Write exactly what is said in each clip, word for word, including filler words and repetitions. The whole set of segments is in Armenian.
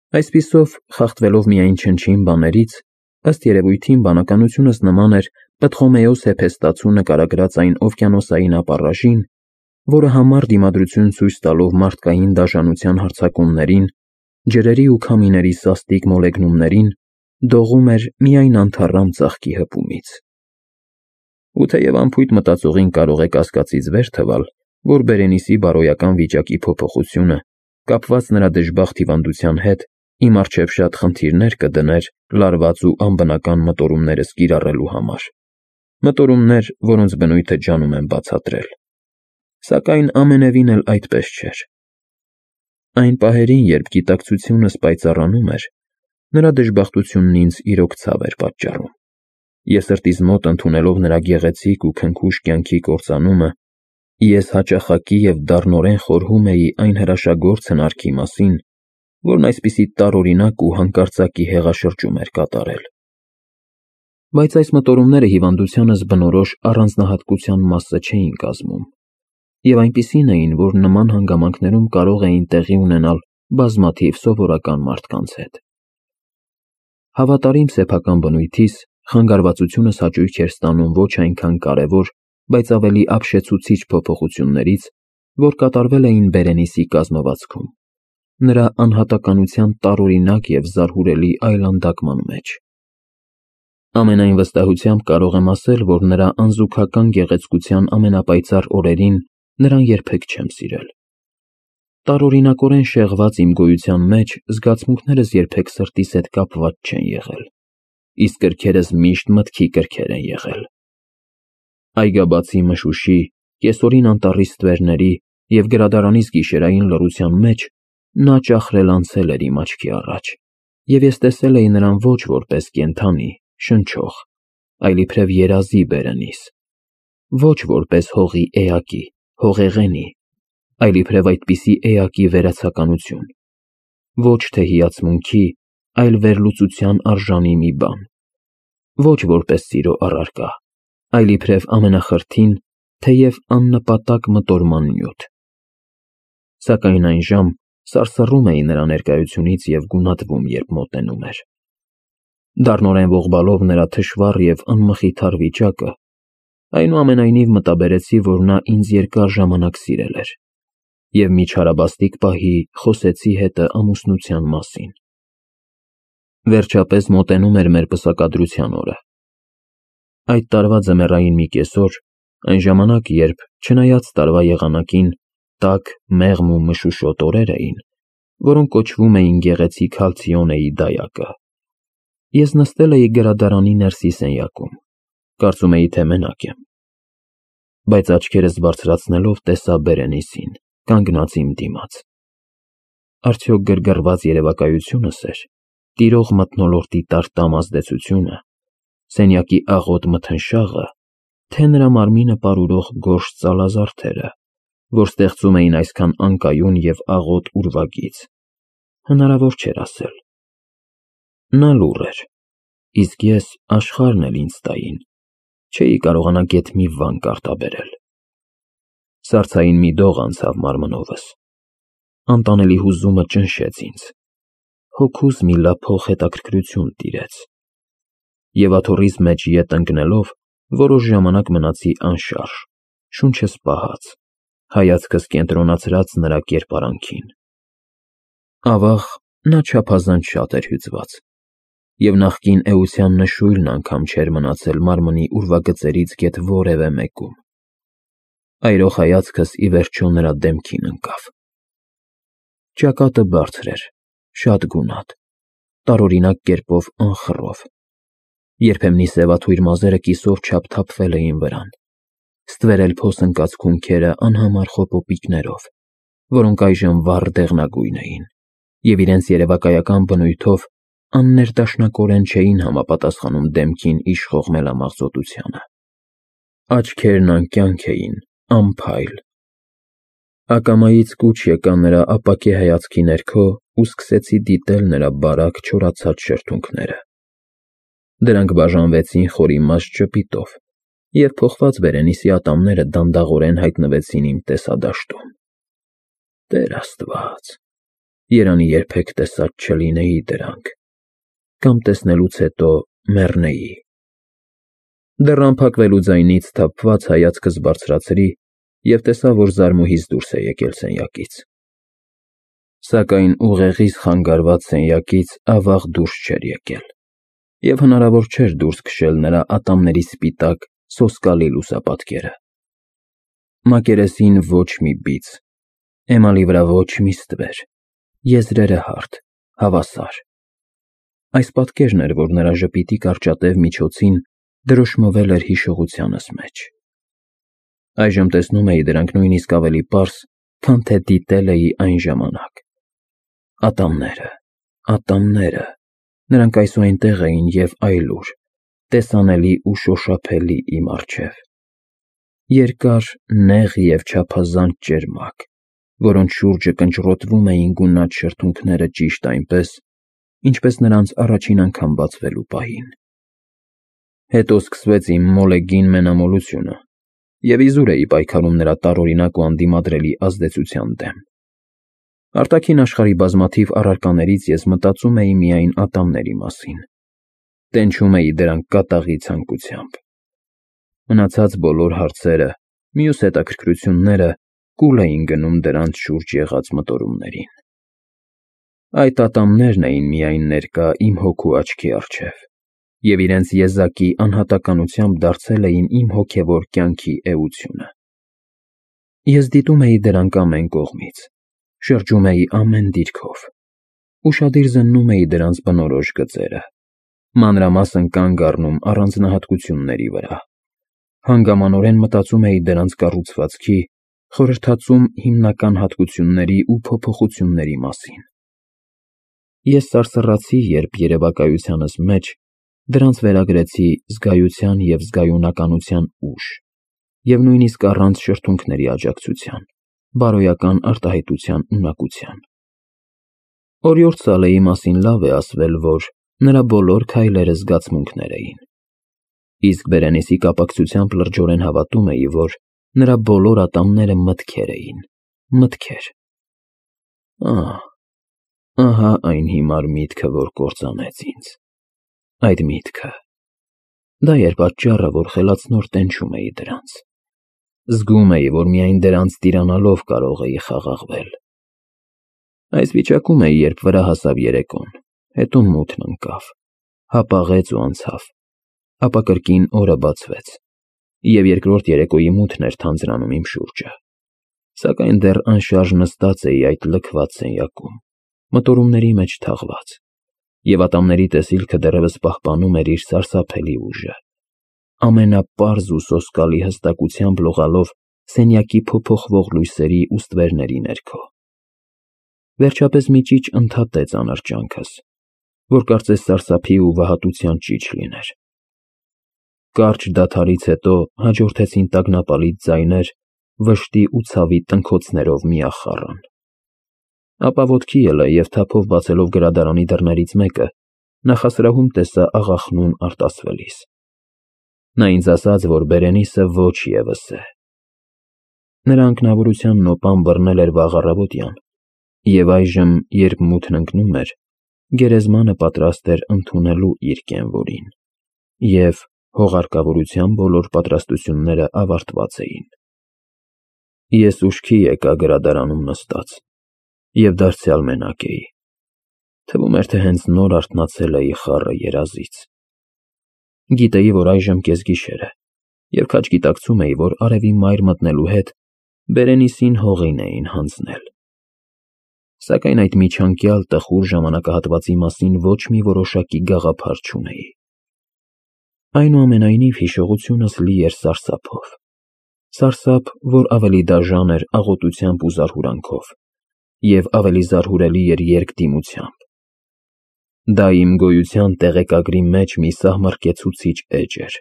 Այսպիսով, խախտվելով միայն չնչին բաներից, ըստ երևույթին բանականությունս նման էր Պտղոմեոս Հեփեստացու նկարագրած այն օվկիանոսային ապառաժին, որը համառ դիմադրություն ցույց տալով մարդկային դաժանության հարձակումներին, ջրերի ու քամիների սաստիկ մոլեգնումներին, դողում էր միայն անթառամ ծաղկի հպումից։ Ու թեև անփույթ մտածողին կարող է կասկածից վեր թվալ, որ Բերենիսի բարոյական վիճակի փոփոխությունը, կապված նրա դժբախտ հիվանդության հետ, իմ առջև շատ խնդիրներ կդներ լարված ու անբնական մտորումներս կիրառելու համար, մտորումներ, որոնց բնույթը ջանում եմ բացատրել։ Սակայն ամենևին էլ այդպես չէր։ Այն պահերին, երբ գիտակցությունս պայծառանում էր, նրա դժբախտությունն ինձ իրոք ցավ էր պատճառում, և սրտիս մոտ ընդունելով նրա գեղեցիկ ու քնքուշ կյանքի կործանումը, ես հաճախակի և դառնորեն խորհում էի այն հրաշագործ հնարքի մասին, որն այսպիսի տարօրինակ ու հանկարծակի հեղաշրջում էր կատարել։ Բայց այս մտորումները հիվանդությանս բնորոշ առանձնահատկության մասը չէին կազմում, և այնպիսին էին, որ նման հանգամանքներում կարող էին տեղի ունենալ բազմաթիվ սովորական մարդկանց հետ։ Հավատարիմ սեփական բնույթիս, խանգարվածությունս հաճույք էր ստանում ոչ այնքան կարևոր, բայց ավելի ապշեցուցիչ փոփոխություններից, որ կատարվել էին Բերենիսի կազմվածքում, նրա անհատականության տարօրինակ և զարհուրելի այլանդակման մեջ։ Ամենայն վստահությամբ կարող եմ ասել, որ նրա անզուգական գեղեցկության ամենապայծառ օրերին նրան երբեք չեմ սիրել։ Տարօրինակորեն շեղված իմ գոյության մեջ զգացմունքներս երբեք սրտիս հետ կապված չեն եղել, իսկ կրքերս միշտ մտքի կրքեր են եղել։ Այգաբացի մշուշի, կեսօրին անտառի ստվերների և գրադարանիս գիշերային լռության մեջ նա ճախրել-անցել էր իմ աչքի առաջ, և ես տեսել էի նրան ոչ որպես կենդանի, շնչող, այլ իբրև երազի Բերենիս, ոչ որպես հողի էակի, հողեղենի, այլ իբրև այդպիսի էակի վերացականություն, ոչ թե հիացմունքի, այլ վերլուծության արժանի մի բան, ոչ որպես սիրո առարկա, այլ իբրև ամենախրթին, թեև աննպատակ մտորման նյութ։ Սակայն այն ժամ սարսռում էի նրա ներկայությունից և գունատվում, երբ մոտենում էր։ Դառնորեն ողբալով նրա թշվառ և անմխիթար վիճակը, այնուամենայնիվ մտաբերեցի, որ նա ինձ երկար ժամանակ սիրել էր, և մի չարաբաստիկ պահի խոսեցի հետը ամուսնության մասին։ Վերջապես մոտենում էր մեր պսակադրության օրը։ Այդ տարվա ձմեռային մի կեսօր, այն ժամանակ, երբ, չնայած տարվա եղանակին, տաք, մեղմ ու մշուշոտ օրեր էին, որոնք կոչվում էին գեղեցիկ Հալցիոնեի դայակը, ես նստել էի գրադարանի ներսի սենյակում, կարծում էի, թե մենակ եմ, բայց աչքերս բարձրացնելով տեսա Բերենիսին, կանգնած իմ դիմաց։ Արդյոք գրգռված երևակայությո՞ւնս էր, տիրող մթնոլորտի տարտամ ազդեցությունը, սենյակի աղոտ մթնշաղը, թե նրա մարմինը պարուրող գորշ ծալազարդերը, որ ստեղծում էին այսքան անկայուն և աղոտ ուրվագիծ, հնարավոր չէր ասել։ Նա լուռ էր, իսկ ես, աշխարհն էլ ինձ տային, չէի կարողանա գեթ մի վանք արտաբերել։ Սառցային մի դող անցավ մարմնովս, անտանելի հուզումը ճնշեց ինձ, հոգուս մի լափող հետաքրքրություն տիրեց, և աթոռիս մեջ ետ ընկնելով, որոշ ժամանակ մնացի անշարժ, շունչս պահած, հայացքս կենտրոնացրած նրա կերպարանքին։ Ավաղ, նա չափազանց շատ էր հյուծված, և նախկին էության նշույլն անգամ չէր մնացել մարմնի ուրվագծերից գեթ որևէ մեկում։ Այրող հայացքս ի վերջո նրա դեմքին ընկավ։ Ճակատը բարձր էր, շատ գունատ, տարօրինակ կերպով անխռով, երբեմնի սևաթույր մազերը կիսով չափ թափվել էին վրան, ստվերել փոս ընկած քունքերը անհամար խոպոպիկներով, որոնք այժմ վառ դեղնագույն էին, և իրենց երևակայական բնույթով աններդաշնակորեն չէին համապատասխանում դեմքին իշխող մելամաղձոտությանը։ Աչքերն անկյանք էին, անփայլ։ Ակամայից կուչ եկա նրա ապակե հայացքի ներքո ու սկսեցի դիտել նրա բարակ, չորացած շրթունքները։ Դրանք բաժանվեցին խորիմաստ ժպիտով, և փոխված Բերենիսի ատամները դանդաղորեն հայտնվեցին իմ տեսադաշտում։ Տեր Աստված, երանի երբեք տեսած չլինեի դրանք, կամ տեսնելուց հետո մեռնեի։ Դեռ անփակվելու ձայնից սթափված հայացքս բարձրացրի և տեսա, որ Զարմուհիս դուրս է եկել սենյակից։ Սակայն ուղեղիս խանգարված սենյակից ավաղ դուրս չէր եկել, և հնարավոր չէր դուրս քշել նրա ատամների սպիտակ, սոսկալի լուսապատկերը։ Մակերեսին ոչ մի բիծ, էմալի վրա ոչ մի ստվեր, եզրերը հարթ, հավասար։ Այս պատկերն էր, որ նրա ժպիտի կարճատև միջոցին դրոշմվել էր հիշողությանս մեջ։ Այժմ տեսնում էի դրանք նույնիսկ ավելի պարզ, քան թե դիտել էի այն ժամանակ։ Ատամները, ատամները, նրանք այսուհետև էին և այլուր, տեսանելի ու շոշափելի իմ առջև։ Երկար, նեղ և չափազանց ճերմակ, որոնց շուրջը կնճռոտվում էին գունատ շրթունքները ճիշտ այնպես, ինչպես նրանց առաջին անգամ բացվելու պահին։ Հետո սկսվեց իմ մոլեգին մենամոլությունը, և իզուր էի պայքարում նրա տարօրինակ ու անդիմադրելի ազդեցության դեմ։ Արտաքին աշխարհի բազմաթիվ առարկաներից ես մտածում էի միայն ատամների մասին, տենչում էի դրանք կատաղի ցանկությամբ։ Մնացած բոլոր հարցերը, մյուս հետաքրքրությունները կուլ էին գնում դրանց շուրջ եղած մտորումներին։ Այդ ատամներն էին միայն ներկա իմ հոգու աչքի առջև, և իրենց եզակի անհատականությամբ դարձել էին իմ հոգևոր կյանքի էությունը։ Ես դիտում էի դրանք ամեն կողմից, շրջում էի ամեն դիրքով, ուշադիր զննում էի դրանց բնորոշ գծերը, մանրամասն կանգ առնում առանձնահատկությունների վրա, հանգամանորեն մտածում էի դրանց կառուցվածքի, խորհրդածում հիմնական հատկությունների ու փոփոխությունների մասին։ Ես սարսռացի, երբ երևակայությանս մեջ դրանց վերագրեցի զգայության և զգայունականության ուժ, և նույնիսկ առանց շրթունքների աջակցության, բարոյական արտահայտության ունակության։ Օրիորդ Սալեհի մասին լավ է ասվել, որ նրա բոլոր քայլերը զգացմունքներ էին, իսկ Բերենիսի կապակցությամբ լրջորեն հավատում էի, որ նրա բոլոր ատամները մտքեր էին, մտքեր։ Ահ, ահա այն հիմար միտքը, որ կործանեց ինձ, այդ միտքը։ Դա էր պատճառը, որ խելացնոր տենչում էի դրանց։ Զգում էի, որ միայն դրանց տիրանալով կարող էի խաղաղվել։ Այս վիճակում էի, երբ վրա հասավ երեկոն, հետո մութն ընկավ, հապաղեց ու անցավ, ապա կրկին օրը բացվեց, և երկրորդ երեկոյի մութն էր թանձրանում իմ շուրջը, սակայն դեռ անշարժ նստած էի այդ լքված սենյակում, մտորումների մեջ թաղված, և ատամների տեսիլքը դեռևս պահպանում էր իր սարսափելի ուժը, ամենապարզ ու սոսկալի հստակությամբ լողալով սենյակի փոփոխվող լույսերի ու ստվերների ներքո։ Վերջապես մի ճիչ ընդհատեց անարճանքս, որ կարծես սարսափի ու վհատության ճիչ լիներ։ Կարճ դադարից հետո հաջորդեցին տագնապալից ձայներ, վշտի ու ցավի տնքոցներով միախառն։ Ապա ոտքի ելա և թափով բացելով գրադարանի դռներից մեկը, նախասրահում տեսա աղախնուն արտասվելիս։ Նա ինձ ասաց, որ Բերենիսը ոչ ևս է։ Նրա անքնավորության նոպան բռնել էր վաղ առավոտյան, և այժմ, երբ մութն ընկնում էր, գերեզմանը պատրաստ էր ընդունելու իր կենվորին, և հողարկավորության բոլոր պատրաստությունները ավարտված էին։ Ես ուշքի եկա գրադարանում նստած և դարձյալ մենակ էի։ Թվում էր, թե հենց նոր արթնացել էի խառը երազից։ Գիտեի, որ այժմ կեսգիշեր է, և քաջ գիտակցում էի, որ արևի մայր մտնելու հետ Բերենիսին հողին էին հանձնել։ Սակայն այդ միջանկյալ տխուր ժամանակահատվածի մասին ոչ մի որոշակի գաղափար չունեի։ Այնուամենայնիվ հիշողությունս լի էր սարսափով, սարսափ, որ ավելի դաժան էր աղոտությամբ ու զարհուրանքով, և ավելի զարհուրելի էր երկդիմությամբ։ Դա իմ գոյության տեղեկագրի մեջ մի սահմռկեցուցիչ էջ էր,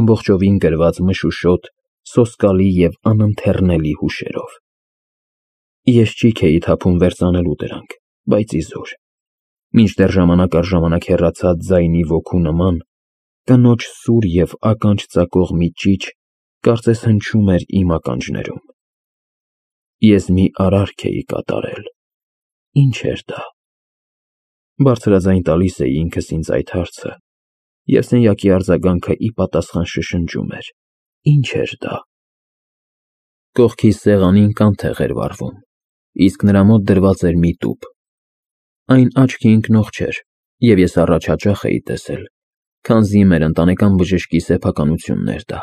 ամբողջովին գրված մշուշոտ, սոսկալի և անընթեռնելի հուշերով։ Ես ճիգ էի թափում վերծանելու դրանք, բայց իզուր, մինչդեռ ժամանակ առ ժամանակ հեռացած ձայնի ոգու նման, կնոջ սուր և ականջ ծակող մի ճիչ կարծես հնչում էր իմ ականջներում։ Ես մի արարք էի կատարել, Ինչ էր դա։ Բարձրաձայն տալիս էի ինքս ինձ այդ հարցը, և սենյակի արձագանքը ի պատասխան շշնջում էր. Ինչ էր դա։ Կողքիս սեղանին կանթեղ էր վառվում, իսկ նրա մոտ դրված էր մի տուփ։ Այն աչքի ընկնող չէր, և ես առաջ հաճախ էի տեսել, քանզի մեր ընտանեկան բժշկի սեփականությունն էր դա։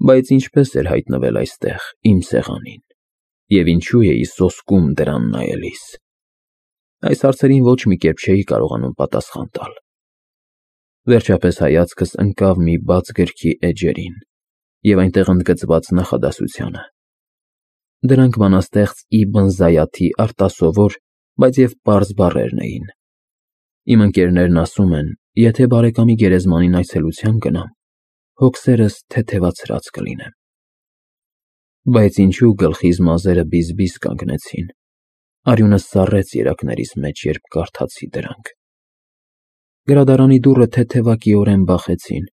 Բայց ինչպես էր հայտնվել այստեղ, իմ սեղանին, և ինչու էի սոսկում դրան նայելիս։ Այս հարցերին ոչ մի կերպ չէի կարողանում պատասխան տալ։ Վերջապես հայացքս ընկավ մի բաց գրքի էջերին և այնտեղ ընդգծված նախադասությանը։ Դրանք բանաստեղծ Իբն Զայաթի արտասովոր, բայց և պարզ բառերն էին։ Իմ ընկերներն ասում են, եթե բարեկամի գերեզմանին այցելության գնամ, հոգսերս թեթևացրած կլինեմ։ Բայց ինչու գլխիս մազերը բիզ-բիզ կանգնեցին, արյունս սառեց երակներիս մեջ, երբ կարդացի դրանք։ Գրադարանի դուռը թեթևակիորեն բախեցին,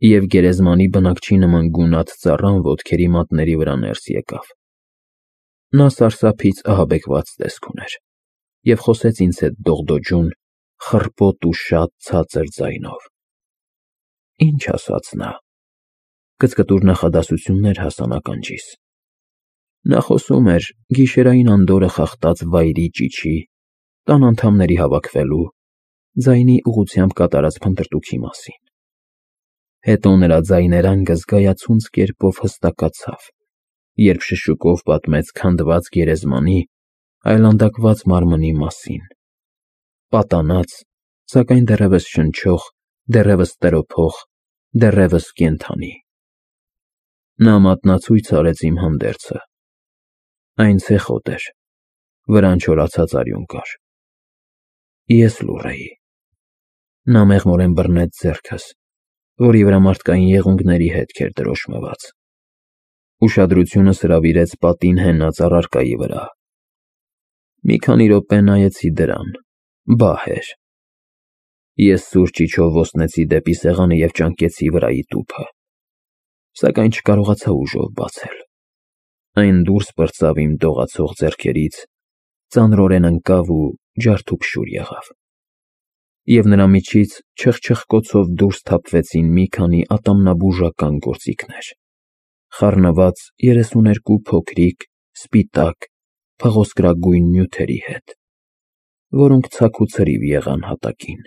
և գերեզմանի բնակչի նման գունատ ծառան ոտքերի մատների վրա ներս եկավ։ Նա սարսափից ահաբեկված տեսք ուներ և խոսեց ինձ հետ դողդոջուն, խռպոտ ու շատ ցածր ձայնով։ Ինչ ասաց նա։ Կծկտուր նախադասություններ հասան ականջիս։ Նա խոսում էր գիշերային անդորրը խախտած վայրի ճիչի, տան անդամների հավաքվելու, ձայնի ուղղությամբ կատարած փնտրտուքի մասին։ Հետո նրա ձայներանգը զգայացունց կերպով հստակացավ, երբ շշուկով պատմեց քանդված գերեզմանի, այլանդակված մարմնի մասին, պատանած, սակայն դեռևս շնչող, դեռևս տրոփող, դեռևս կենդանի։ Նա մատնացույց արեց իմ հանդերձը։ Այն ցեխոտ էր, վրան չորացած արյուն կար։ Ես լուռ էի։ Նա մեղմորեն բռնեց ձեռքս, որի վրա մարդկային եղունգների հետք էր դրոշմված։ Ուշադրությունս հրավիրեց պատին հենած առարկայի վրա։ Մի քանի րոպե նայեցի դրան, բահ էր։ Ես սուր ճիչով ոստնեցի դեպի սեղանը և ճանկեցի վրայի տուփը, սակայն չկարողացա ուժով բացել։ Այն դուրս պրծավ իմ դողացող ձեռքերից, ծանրորեն ընկավ ու ջարդուփշուր եղավ։ Եվ նրա միջից չխչխկոցով դուրս թափվեցին մի քանի ատամնաբուժական գործիքներ, խառնված երեսուներկու փոքրիկ, սպիտակ, փղոսկրագույն նյութերի հետ, որոնք ցաք ու ցրիվ եղան հատակին։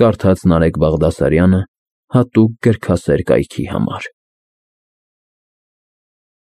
Կարդաց Նարեկ Բաղդասարյանը հատուկ գրքասեր կայքի համար։